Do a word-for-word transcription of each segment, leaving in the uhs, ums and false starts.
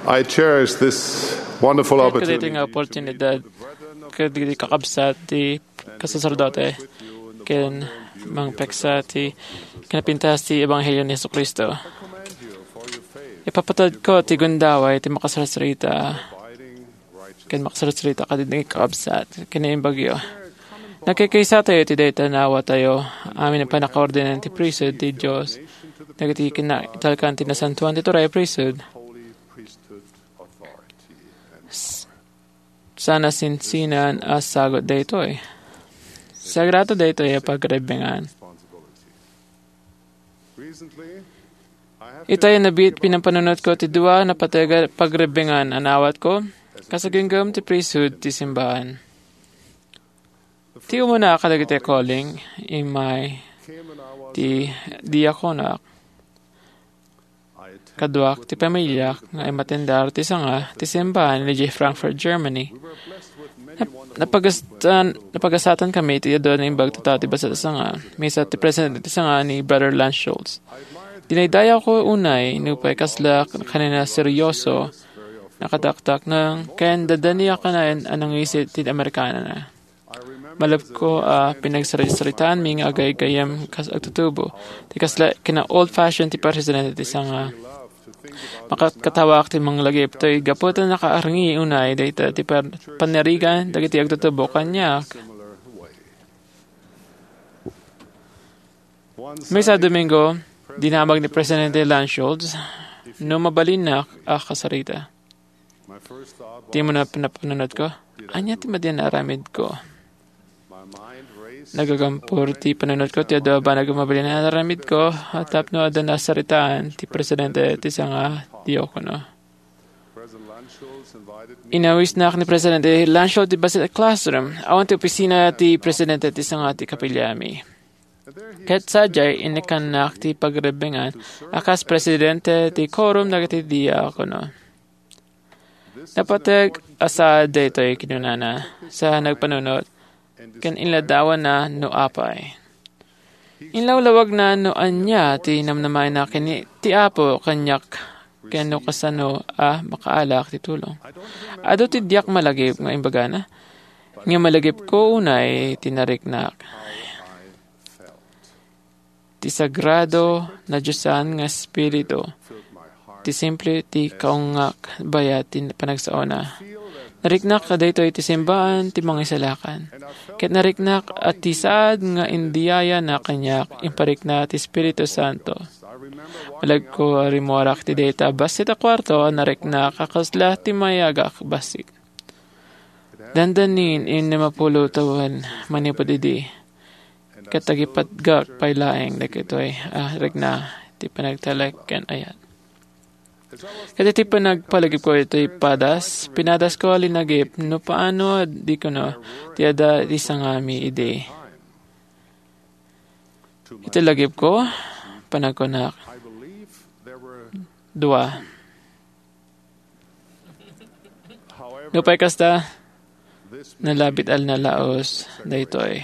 I cherish this wonderful Ket kadaytoy opportunity nga oportunidad kadagiti kakabsat ti kasaserdote ken mangpeksa ti kinapintas ti Ebanghelio ni Jesu-Cristo. Ipapatadko ti gundaway ti makasarsarita ken makasarsarita kadagiti kakabsat ken imbagyo. Nagkakaisatayo iti dayta naawatayo amin a pannakaordenan ti priesthood ti Dios dagiti kinaitalkan ti Nasantoan ti Turay a Priesthood. S-, sana sinsinan a sagut daytoy. Sagrado daytoy a pagrebbengan. Itay a nabiit, pinapanunotko ti dua a napateg a pagrebbengan a naawatko kas agingga ti priesthood ti simbahan. Ti umuna kadagiti calling, immay ti diakonoak. Kaduak ti pamiliak nga immatendar ti sanga ti simbahan idiay Frankfurt, Germany. Nap-, napagasatan, napagasatanmi iti adu a naimbag a tattao ti bassit a sanga. Maysa ti presidente ti sanga ni Brother Lance Schultz. Dinaydayawko unay nupay kasla kanina seryoso, nakataktaknang, ken dadaniak kanayon a nangisit ti Amerikanana. Malabko a pinagsaritsaritaanmi nga agaygayyem kas agtutubo. Ti kasla kina-old-fashioned ti presidente ti sanga. Makatkatawaak ti manglagip toy gapu ta nakaarngi unay dayta ti par-, panirigan dagiti agtutubo kaniak. Maysa a Domingo, dinamag ni Presidente Lance Schultz no mabalinnak a kasarita. Ti umuna a panapanunotko, ania ti madi a naaramidko? Nagagampor ti panunotko ti adu a banag a mabalin a naaramidko tapno adda nasaritaan ti presidente ti sanga diakono. Inawisnak ni Presidente Lance Schultz ti bassit a classroom. Awan ti opisina ti presidente ti sanga ti kapiliami. Ket sadiay, innikkannak ti pagrebbengan a kas presidente ti quorum dagiti diakono. Napateg a saad daytoy, kinunana, sa nagpanunot, ken inladawanna no apay. Inlawlawagna no ania ti namnamaenna ken ti Apo kaniak ken no kasano a makaalak ti tulong. Adu ti diak malagip nga imbagana, ngem malagipko unay ti nariknak. Ti sagrado, nadiosan nga Espiritu, ti simple ti kaungak bayat ti panagsaona. Nariknak a daytoy ti simbaan ti Mangisalakan. Ket nariknak a ti saad nga indiayana kaniak, imparikna ti Espiritu Santo. Malagko a rimmuarak ti dayta a bassit a kuarto a nariknak a kasla ti mayagak bassit. Dandanin, innem a pulo tawen manipud idi, ket agipatgak pay laeng dagitoy a rikna ti panagtalek ken ayat. Ket iti panagpalagipko iti padas, pinadasko a linagip no paano a di kuno ti adda ti sangami idi. Iti lagipko, panagkunak, dua. Nupay kasta, nalabit a nalaus daytoy.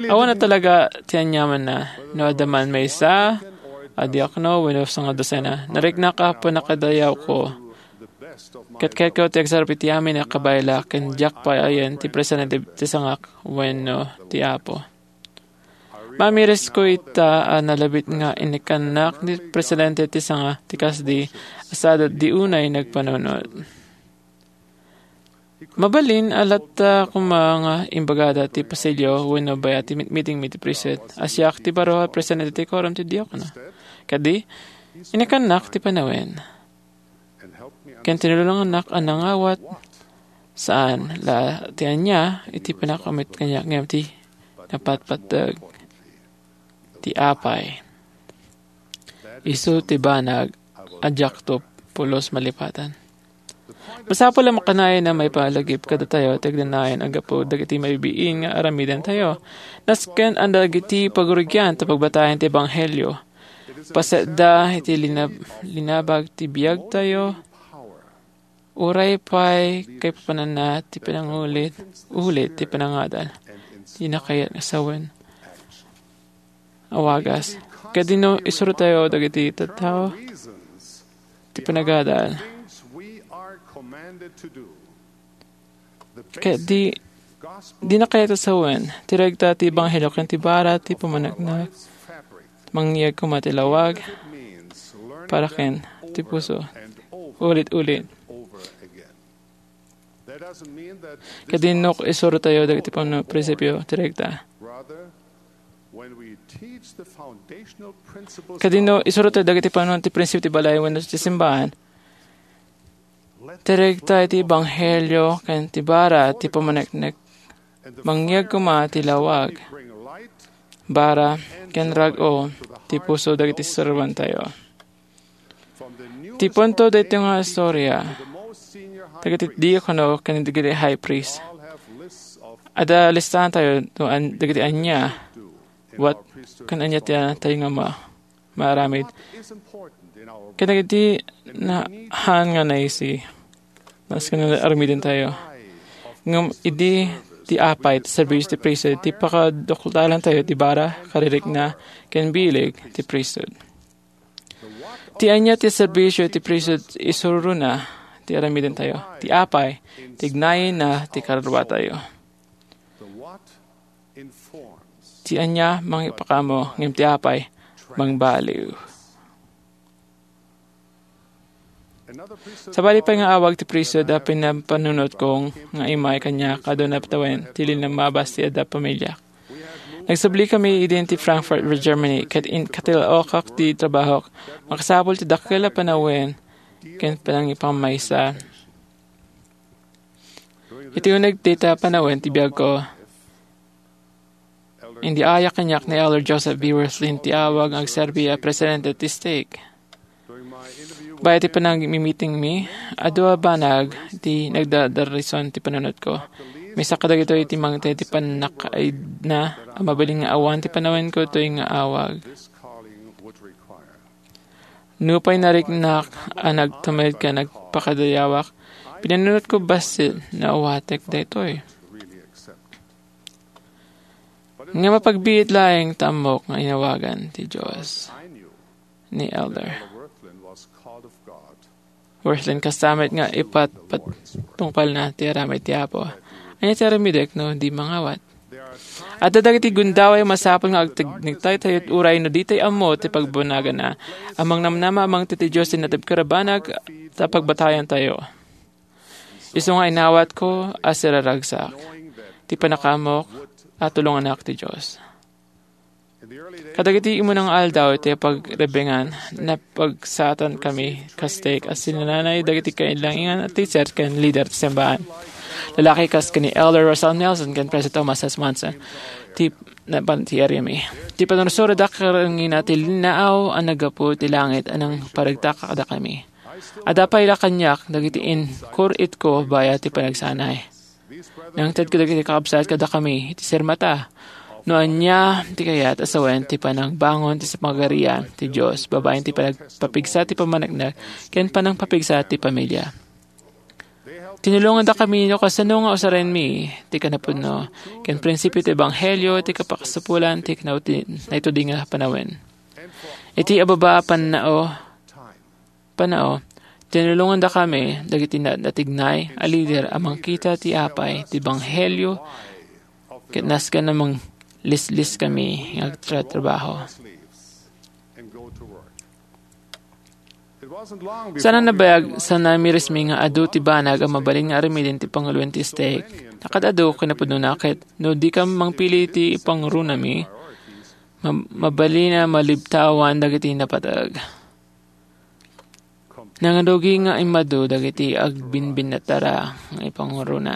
Awan a talaga ti aniamanna, no adda man maysa a diakono wenno sangdosena. Nariknak a pannakadayawko. Ket kayatko ti agsarap iti amin a kabaela ken diak pay ayan ti presidente ti sangak wenno ti Apo. Mamirisko ita a nalabit nga innikkannak ni presidente ti sanga ti kasdi a sadat di unay nagpanunot. Mabalin a latta koma nga imbagada ti pasilyo wenno bayat ti mitmitingmi ti priesthood a siak ti baro a presidente ti quorum ti diakono. Kadi, innikkannak ti panawen. Ken tinulongannak a nangawat saan la ti ania iti panakaumit kaniak ngem ti napatpateg ti apay. Isu ti banag a diakto pulos malipatan. Masapul a makanayon a maipalagip kadatayo ti agnanayon a gapu dagiti mabibiin nga aramidentayo. Nasken a dagiti pagrugian ta pagbatayen ti ebanghelio. Pasetda iti linab-, linabag ti biagtayo, uray pay kaipapananna ti panangulit, ulit ti panangadal, ti nakayat nga sawen a wagas. Ket dino isuratayo dagiti tattao ti panagadal. Ket di, di na kayat a sawen ti regta ti ebanghelio ken ti bara ti pamaneknek. Mangyeg koma ti lawag para ken ti puso. Ulit-ulit. Ket dino isuratayo dagiti pano-, prinsipio ti regta. Ket dino isuratayo dagiti pano-, ti prinsipio ti balay wenno ti simbahan. Ti regta iti ebanghelio ken ti bara ti pamaneknek. Mangyeg koma ti lawag, bara, ken rag-o ti puso dagiti serbiantayo. Ti punto daytoy nga istoria, dagiti diakono ken dagiti high priest. Adda listaantayo no an-, dagiti ania, what, ken ania ti tayo nga ma-, maaramid. Ken dagiti na-, haan nga naisi, nasken nga armidentayo. Ngem idi ti apay ti serbisio ti priesthood, ti pakaduktalantayo ti bara, karirikna, ken bileg ti priesthood. Ti ania ti serbisio ti priesthood isurona ti aramidentayo. Ti apay, tignayenna ti karuatayo. Ti ania mangipakaammo, ngem ti apay, mangbaliw. Sabali pay nga awag ti priesthood a pinapanunotko nga immay kaniak adu natawen ti limmabas ti adda pamiliak. Nagsubli kami idin ti Frankfurt, Germany, ket in-, katilaokak ti trabahok. Makasapul ti dakkel a panawen ken panangipamaysa. Iti uneg dayta panawen ti biagko, indiayak kaniak ni Elder Joseph B. Wirthlin ti awag nga agserbi a presidente ti stake. Baet ti panagmimitingmi, adu a banag ti nagdadarison ti panunotko. Maysa kadagitoy ti mangted ti pannakaidna a mabalin nga awan ti panawenko toy nga awag. Nupay nariknak a nagtumed ken nagpakadayawak, pinanunotko bassit no awatek daytoy. Nga mapagbiit laeng ta ammok nga inawagan ti Dios ni Elder Wirthlin kasta met nga ipatpatungpalna ti aramid ti Apo. Ania ti aramidek no di mangawat? Adda dagiti gundaway a masapul nga agtignigtaytayo uray no ditay ammo ti pagbanaganna. Amangnamnama a mangted ti Dios ti natibker a banag ta pagbatayantayo. Isu nga inawatko a siraragsak ti pannakaammok a tulongannak ti Dios. Kadagiti immuna nga aldaw iti pagrebengan, napagsaatkami kas stake a sinananay dagiti kailanginan a teacher ken leader ti simbahan. Lalaki kas ken ni Elder Russell Nelson ken President Thomas S. Monson, ti napan ti ariami. Ti panursurodak karengngina ti linnaaw a naggapu ti langit a nangparegta kadakami. Adda pay la kaniak dagiti inkur-itko bayat ti panagsanay. Nangted kadagiti kakabsat kadakami iti sirmata no ania ti kayat a sawen ti panangbangon ti pagarian ti Dios babaen ti panagpapigsa ti pammaneknek ken panangpapigsa ti pamilia. Tinulongandakami no kasano nga usarenmi ti kinapudno ken prinsipio ti ebanghelio ti kapakasapulan ti kinauti-, naitudi nga panawen. Iti ababa a pannao, pannao, tinulongandakami dagiti na-, natignay a lider a mangkita ti apay ti ebanghelio ket nasken a manglisliskami nga agtratrabaho. Saan a nabayag, saan a namirismi nga adu ti banag a mabalin nga aramiden ti panguloen ti stake. Nakaad-adu kinapudnona ket no dika mangpili ti ipangrunami, ma-, mabalin a malibtawan dagiti napateg. Nangarugi nga immadu dagiti agbinbinnatara nga ipangruna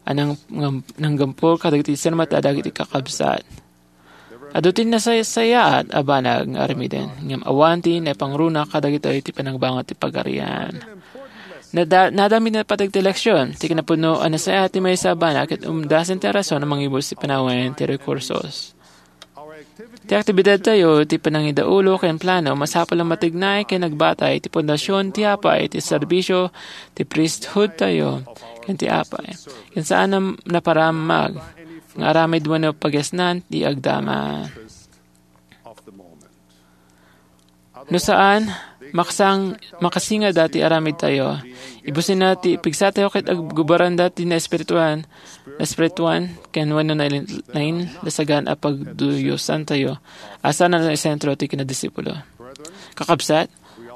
a nang-, ngam-, nanggampol kadagiti sirmata dagiti kakabsat. Adu ti nasaysayaat a banag nga aramiden, ngem awan ti naipangruna kadagitoy ti panagbangon ti pagarian. Nada-, nadam iti napateg ti eleksyon. Ti kinapudno a nasayaat ti maysa a banag ket umdasen ti rason a mangibus ti panawen ti rekursos. Ti aktibidadtayo, ti panangidaulo ken plano, masapul a matignay ken agbatay ti pundasyon ti apay, ti serbisio, ti priesthoodtayo, ken ti apay. Ken saan a naparamag nga aramid wenno pagesnan ti agdama. No saan, makasang-, makasingada ti aramidtayo. Ibusinna ti pigsatayo ket aggubaranda ti naespirituan, naespirituan, ken wenno nain-, nainlasagan a pagduyosantayo a saan a naisentro ti kinadisipulo. Kakabsat,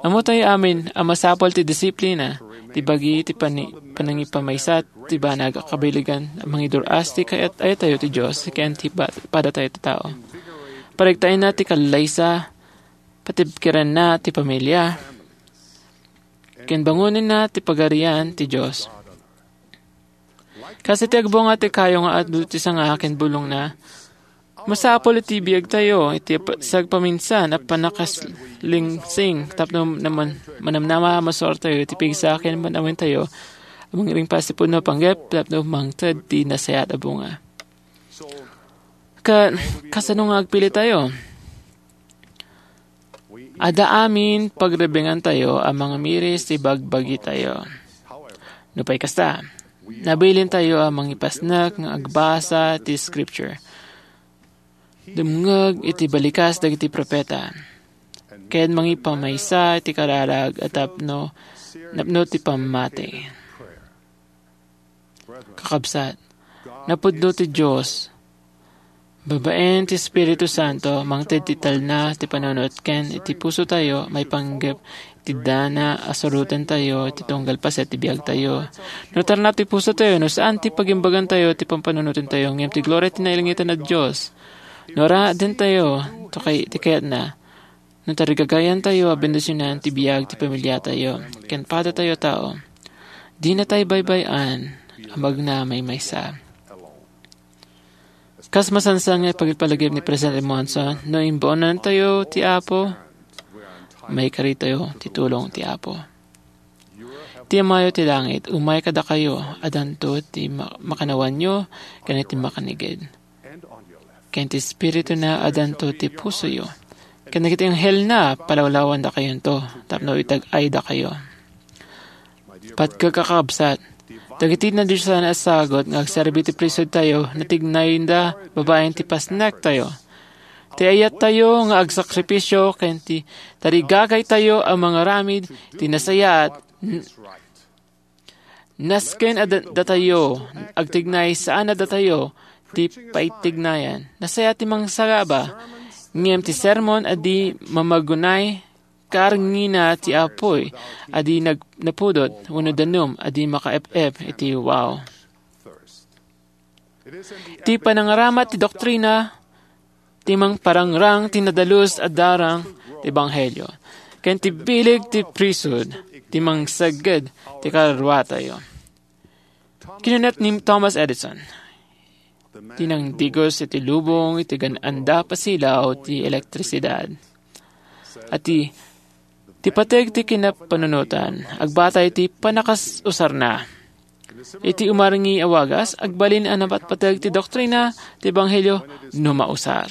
ammotayo amin a masapul ti disiplina, ti bagi ti pani-, panangipamaysa ti banag a kabilegan a mangidur-as ti kayat-ayatayo ti Dios ken ti pa-, padatayo ti tao. Pariktaenna ti kallaysa, patibkerenna ti pamilia, ken bangonenna ti Pagarian ti Dios. Kas iti agbunga ti kayo nga adu ti sanga ken bulongna, masapul iti biagtayo iti pa-, sagpaminsan a pannakaslingsing tapno naman-, manamnama a masuartayo iti pigsa ken man-awentayo a mangringpas ti pudno a panggep tapno mangted ti nasayaat a bunga. Ka-, kasano nga agpilitayo? Adda amin pagrebengantayo a mangamiris ti bagbagitayo. Nupay kasta, nabilintayo a mangipasnek nga agbasa ti Scripture, dumngeg iti balikas dagiti profeta, ken mangipamaysa iti kararag a tapno, napno ti pammati. Kakabsat, napudno ti Dios. Babaen ti Espiritu Santo, mangted ti talna ti panunot ken iti pusotayo, maipanggep ti dana a surotentayo ti tunggal paset ti biagtayo. No tarna ti pusotayo, no saan ti pagimbagantayo ti pampanunotentayo, ngem ti gloria ti nailangitan a Dios. No aradentayo, to kay-, ti kayatna, no tarigagayantayo a bendisionan ti biag ti pamiliatayo, ken padatayo a tao, dinatay baybay-an a magna maymaysa. Kas masansan nga ipagpalagip ni Presidente Monson, no imbaonantayo ti Apo, maikaritayo ti tulong ti Apo. Ti Amayo ti langit, umay kadakayo, adanto ti ma-, makanawanyo ken iti makanigid. Ken ti Espirituna, adanto ti pusoyo. Ken dagiti anghelna, palawlawandakayonto tapno itag-aydakayo. Patgek a kakabsat, dagiti nadiosan a sagut nga agserbi ti priesthoodtayo, natignayda babaen ti pasnektayo. Ti ayattayo nga agsakripisio ken ti tarigagaytayo a mangaramid ti nasayaat, n-, nasken a da-, datayo agtignay saan a datayo ti paitignayan. Nasayaat ti mangsagaba, ngem ti sermon a di mamagunay, karngina ti apuy a di nag-, napudot, wenno danum a di makaep-ep iti wow. Ti panangaramat ti doktrina, ti mangparangrang ti nadalus a darang ti ebanghelio, ken ti bileg ti priesthood, ti mangsegged ti karuatayo. Kinunat ni Thomas Edison, ti nangdigos iti lubong iti gaan-anda a pasilaw ti elektrisidad. A ti, ti pateg ti kinapanunotan, agbatay iti pannakaus-usarna. Iti umarngi a wagas, agbalin a napatpateg ti doktrina ti ebanghelio no mausar.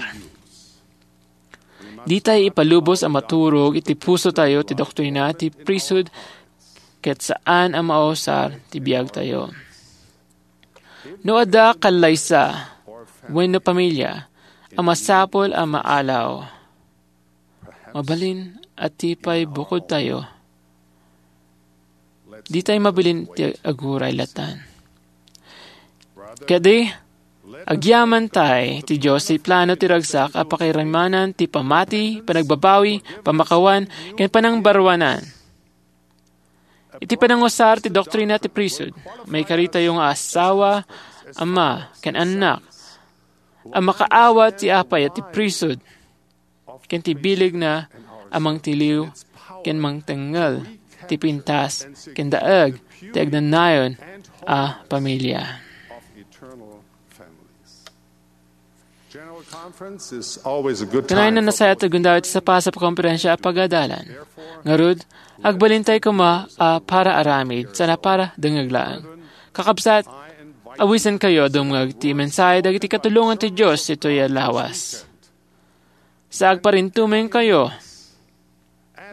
Ditay ipalubos a maturog iti pusotayo ti doktrina ti priesthood ket saan a mausar ti biagtayo. No adda kallaysa wenno pamilia a masapul a maalaw, mabalin a ti pay bukodtayo, ditay mabilin ti aguray latan. Kadi, agyamantay ti Dios ti plano ti ragsak a pakiramanan ti pamati, panagbabawi, pamakawan, ken panangbaruanan. Iti panangusar ti doktrina ti priesthood, maikaritayo nga asawa, ama, ken annak, a makaawat ti apay a ti priesthood, ken ti bilegna a mangtiliw ken mangtengngel ti pintas ken daeg ti agnanayon a pamilia. General Conference is always a good time. Kanayon a nasayaat ti gundaway ti sapasap a konferensia a pagadalan. Ngarud, agbalintay koma a para aramid, sana para dengngeg laeng. Kakabsat, awisenkayo a dumngeg ti mensahe dagiti katulongan ti Dios ditoy a lawas. Sa agparintumengkayo,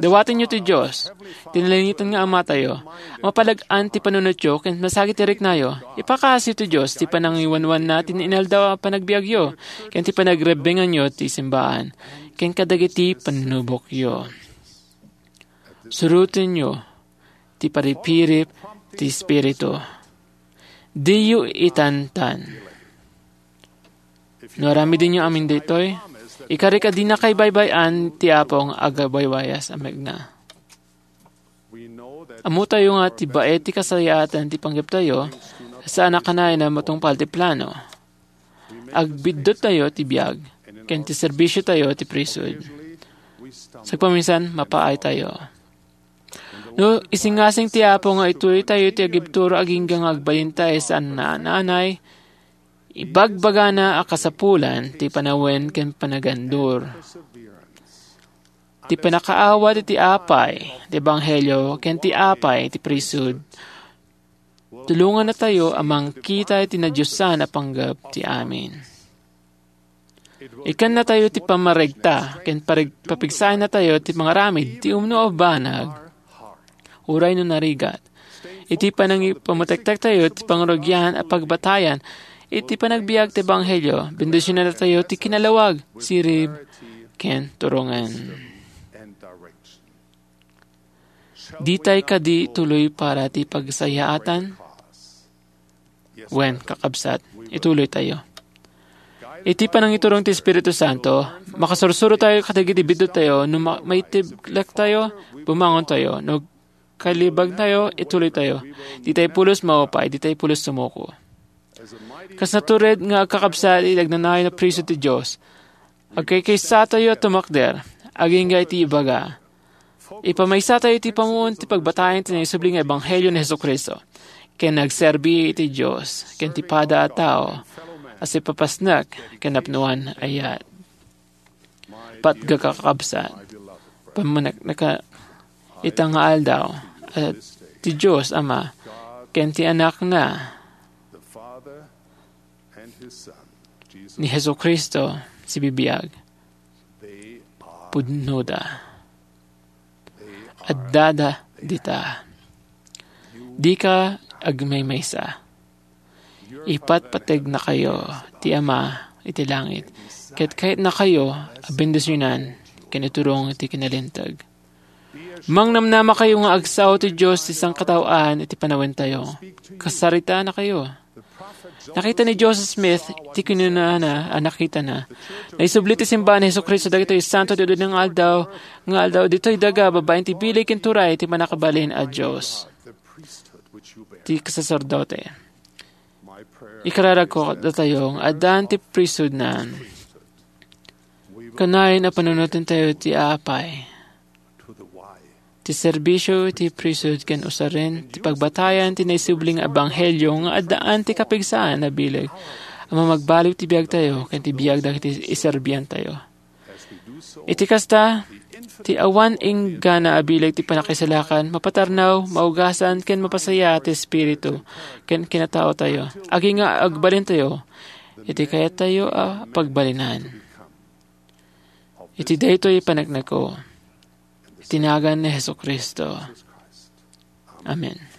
dawatenyo ti Dios, ti nalangitan nga Amatayo, a mapalag-an ti panunotyo ken masagid ti riknayo. Ipakaasinyo ti Dios ti panangiwanwanna ti inaldaw a panagbiagyo, ken ti panagrebbenganyo ti simbaan, ken kadagiti pannubokyo. Surotenyo ti paripirip ti Espiritu. Diyo itantan. No aramidenyo amin daytoy, ikarik a dina kaybaybay-an ti Apo nga agwaywayasen a mekna. Ammotayo nga ti baet ti kasayaatan ti panggeptayo, saan a kanayon a matungpal ti plano. Agbidduttayo ti biag, ken ti serbisiotayo ti priesthood. Sagpaminsan, mapaaytayo. No isingasing ti Apo nga ituloytayo ti agibturo agingga nga agbalintayo saan a naanay, ibagbagana a kasapulan ti panawen ken panagandur. Ti pannakaawat iti apay ti ebanghelio ken ti apay ti priesthood, tulongannatayo a mangkita iti nadiosan a panggep ti amin. Ikkannatayo ti pammaregta ken pareg-, papigsayannatayo ti pangaramid ti umno a banag, uray no narigat. Iti panangipamutektektayo ti pangurugian a pagbatayan iti panagbiag ti ebanghelio, bendisionannatayo ti kinalawag, sirib, ken turongen. Ditay kadi tuloy para ti pagsayaatan? Wen, kakabsat, ituloytayo. Iti panangiturong ti Espiritu Santo, makasursurotayo kadagiti bidduttayo no ma-, maitiblektayo, bumangontayo, no kalibagtayo, ituloytayo. Ditay pulos maupay, ditay pulos sumuko. Kas natured nga agkakabsat iti agnanayon a priesthood ti Dios, agkaykaysatayo a tumakder, agingga iti ibaga. Ipamaysatayo iti pammuon ti pagbatayan ti naisubli nga ebanghelio ni Jesu-Cristo, ken agserbi iti Dios ken ti pada a tao a sipapasnek ken napnoan a ayat. Patgek a kakabsat, pammanekneka ita nga aldaw, a ti Dios Ama ken ti Anakna ni Jesu-Cristo sibibiag. Pudnoda. Addada dita. Dika agmaymaysa. Ipatpategnakayo ti Ama iti langit, ket kayatnakayo a bendisionan ken iturong ti kinalinteg. Mangnamnamakayo nga agsao ti Dios ti sangkataoan iti panawentayo. Kasaritanakayo. Nakita ni Joseph Smith ti kinunana a nakitana. Naisubli ti simbahan ni Jesu-Cristo dagitoy santo ti ududeng nga aldaw, nga aldaw ditoy daga babaen ti bileg ken turay ti Mannakabalin a Dios. Ti kasaserdote. Ikararagko datayo nga addaan ti priesthoodnan. Kanayon a panunotentayo ti apay. Ti serbisio iti priesthood ken usaren ti pagbatayan ti naisubli nga ebanghelio nga addaan ti kapigsaan a bileg a mamagbaliw ti biagtayo ken ti biag dagiti iserbiantayo. Iti kasta, ti awan inggana a bileg ti pannakaisalakan, mapatarnaw, maugasan, ken mapasayaat ti espiritu ken kinataotayo, agingga agbalintayo iti kayattayo a pagbalinan. Iti daytoy panekneko, iti nagan ni Jesu-Cristo. Amen.